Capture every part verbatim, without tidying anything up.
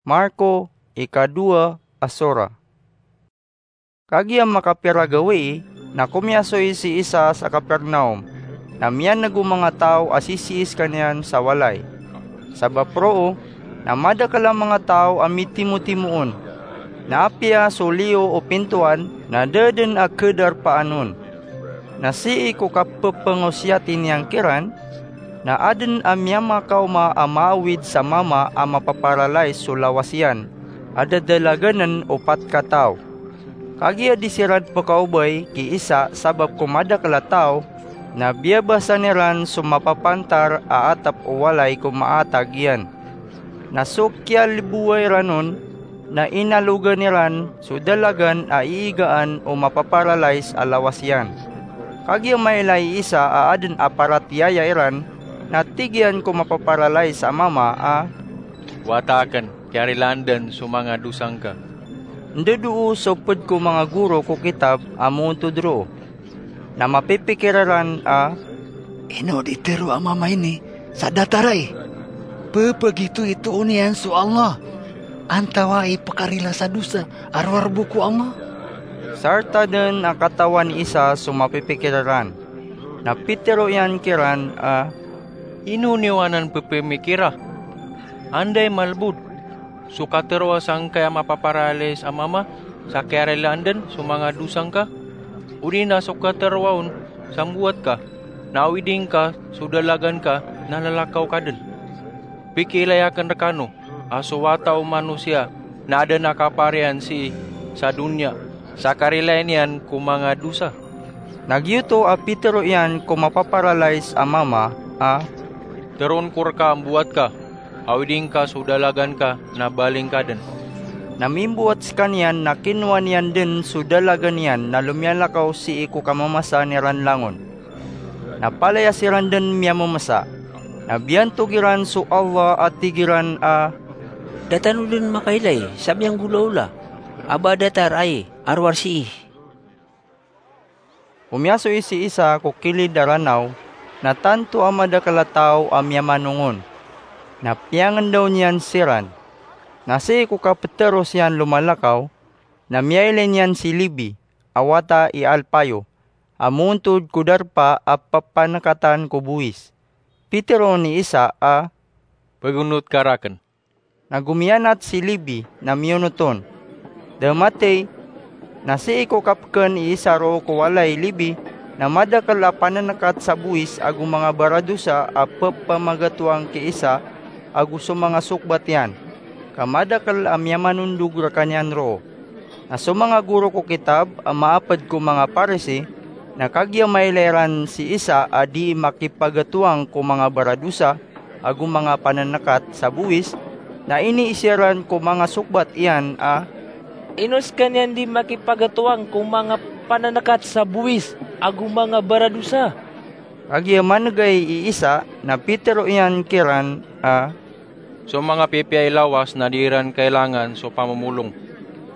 Marko, ikadowa a sora. Kagiya makapira gawii, na komiyasoy si Isa sa Capernaum, na miyaneg o manga taw a sisii skaniyan sa walay. Sabap roo, na madakel a manga taw a mitimotimoon. Na apiya so liyo o pintoan, na da den a khadarpaan on. Na sii ko kapepengosiyati niyan kiran, na aden a miyamakaoma a maawid sa mama a mapaparalays so lawas iyan, a dadalaganen o pat kataw. Kagiya di siran pekaobay ki Isa sabap ko madakel a taw, na biyabasan iran so mapapantar a atep o walay ko maatag iyan. Na so kiyaliboway ran on, na inalogan iran so dalagan a iigaan o mapaparalays a lawas iyan. Kagiya mailay i Isa a aden a paratiyaya iran, na tig iyan ko mapaparalays a mama a, "Wata aken, kiyarilaan den so manga dosa ngka." Ndodoo so ped ko manga goro ko kitab a moontod roo. Na mapipikir iran a, "Ino di tero a mama ini sa datar ai? Pepagitoitoon iyan so Allah, antawaa i pekarila sa dosa a rowar bo ko Allah?" Sarta den a katawan i Isa so mapipikir iran. Na pitero iyan kiran a, "Ino niyo anan pepemikira? Anda i malbod? So kateroa sangkai a mapaparalays a mama sa kiyarilaan den so manga dosa ngka? Odi na so kateroa on sa mbowat ka, na awidi ngka so dalagan ka na lalakaw ka den? Pikiilay aken rekano a so Wata o Manosiya na aden a kaparian sii sa doniya sa karilai niyan ko manga dosa." Na giyoto a pitero iyan ko mapaparalays a mama a, "Teroon ko reka a mbowat ka, awidi ngka so dalagan ka na baling ka den." Na mimbowat sekaniyan na kinowa niyan den so dalagan iyan na lomiyalakaw sii ko kamamasan iran langon. Na palaya siran den miyamemesa. Na biyantog iran so Allah a tig iran a, "Da tano den makailay sa miyanggolaola a ba datar ai a rowar sii." Omiyasoy si Isa ko kilid a ranaw, na tanto a madakel a taw a miyamanong on. Na piyangendaw niyan siran. Na sii ko kapeteros iyan lomalakaw, na miyailay niyan si Lebi, a wata i Alpayo, a moontod ko darpa a pepanekatan ko bowis. Pitero ni Isa a, "Pegonot ka raken." Na gomiyanat si Lebi na miyonot on. Da matey, na sii ko kapeken i Isa roo ko walay i Lebi, na madakel a panenekat sa bowis ago manga baradosa a pepamagatoang ki Isa ago so manga sokbat iyan, ka madakel a miyamanondog rekaniyan roo. Na so manga goro ko kitab a maaped ko manga Parisi, na kagiya mailay ran si Isa a dii makipagatoang ko manga baradosa ago manga panenekat sa bowis, na iniiza ran ko manga sokbat iyan a, "Ino sekaniyan dii makipagatoang ko manga panenekat sa bowis ago manga baradosa?" Kagiya manegay i Isa, na pitero iyan kiran a, "So manga pipiya i lawas na di iran kailangan so pamomolong,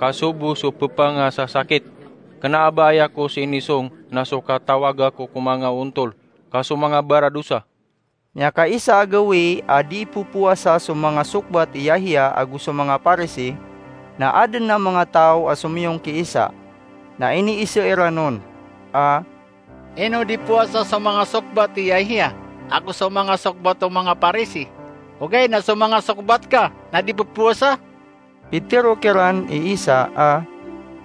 ka so bo so pepangasasakit. Kena a ba aya ko sinisong na so katawaga ko ko manga ontol, ka so manga baradosa." Miyakaisa a gawii a dii popowasa so manga sokbat i Yahiya ago so manga Parisi, na aden a manga taw a somiyong ki Isa, na iniiza iran on a, "Ino di powasa so manga sokbat i Yahiya ago so manga sokbat o manga Parisi, ogaid na so manga sokbat ka na di popowasa?" Pitero kiran i Isa a,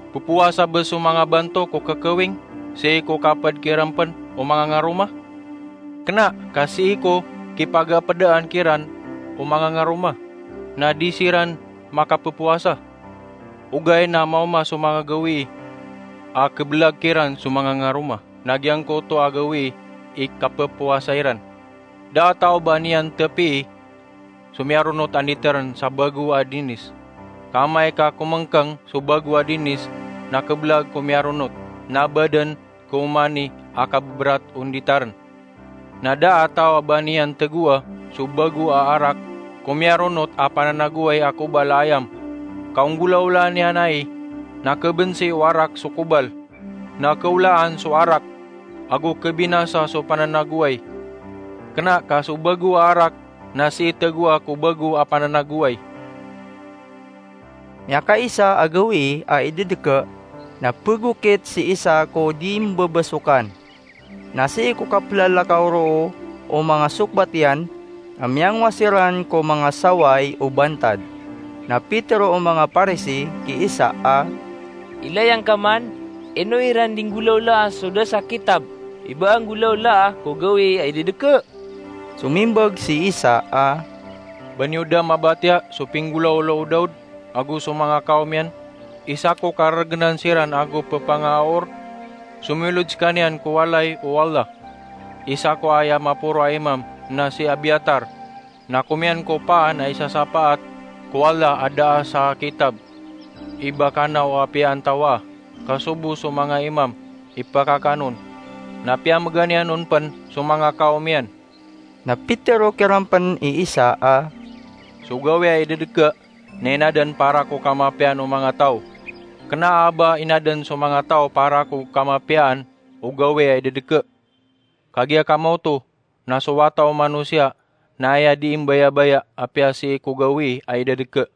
"Popowasa ba so manga banto ko kekewing sii ko kaped kiran pen o manga ngaroma? Kena ka sii ko kipagapedaan kiran o manga ngaroma, na di siran makapepowasa. Ogaid na maoma so manga gawii a kebelag kiran so manga ngaroma, na giyangkoto a gawii i kapepowasa iran. Da a taw ba niyan tepii so miyaronot a nditeren sa bago a dinis. Ka amay ka komengkeng so bago a dinis na kebelag ko miyaronot, na baden ko omani a kabeberat o nditaren. Na da a taw a ba niyan tegoa so bago a arak ko miyaronot a pananagoway a kobal a ayam, ka onggolaolaan iyan ai, na kebensi o arak so kobal, na keolaan so arak, ago kebinasa so pananagoway. Kena ka so bago a arak na sii tegoa ko bago a pananagoway." miyakaisa a gawii a idedeke, na pegokit si isa ko di mbebesokan. Na sii ko kaplalakaw roo o manga sokbat iyan, a miyangowa siran ko manga saway o bantad. Na pitero o manga Parisi ki isa a, "Ilay angka man, ino iran di nggolawlaa so da sa kitab, i ba a nggolawlaa ko gawii a idedeke?" Somimbag si Isa a, "Ba niyo da mabatiya so pinggolawla o Daud ago so manga kawm iyan? Isa ko karegenan siran ago pepangaor. Somiolod sekaniyan ko walay o Allah. Isa ko aya maporo a imam na si Abiatar, na komiyan ko paan a isasapaat ko Allah a da sa kitab i ba kanaw a piyaan tawa, ka sobo so manga imam i pakakanon, na piyamegan iyan on pen so manga kawm iyan." Na pitero kiran pen i Isa a, "So gawii a idedeke na inaden para ko kamapiyaan o manga taw. Kena a ba inaden so manga taw para ko kamapiyaan o gawii a idedeke. Kagiya kamaoto na so Wata o Manosiya na aya di mbayabaya apiya sii ko gawii a idedeke."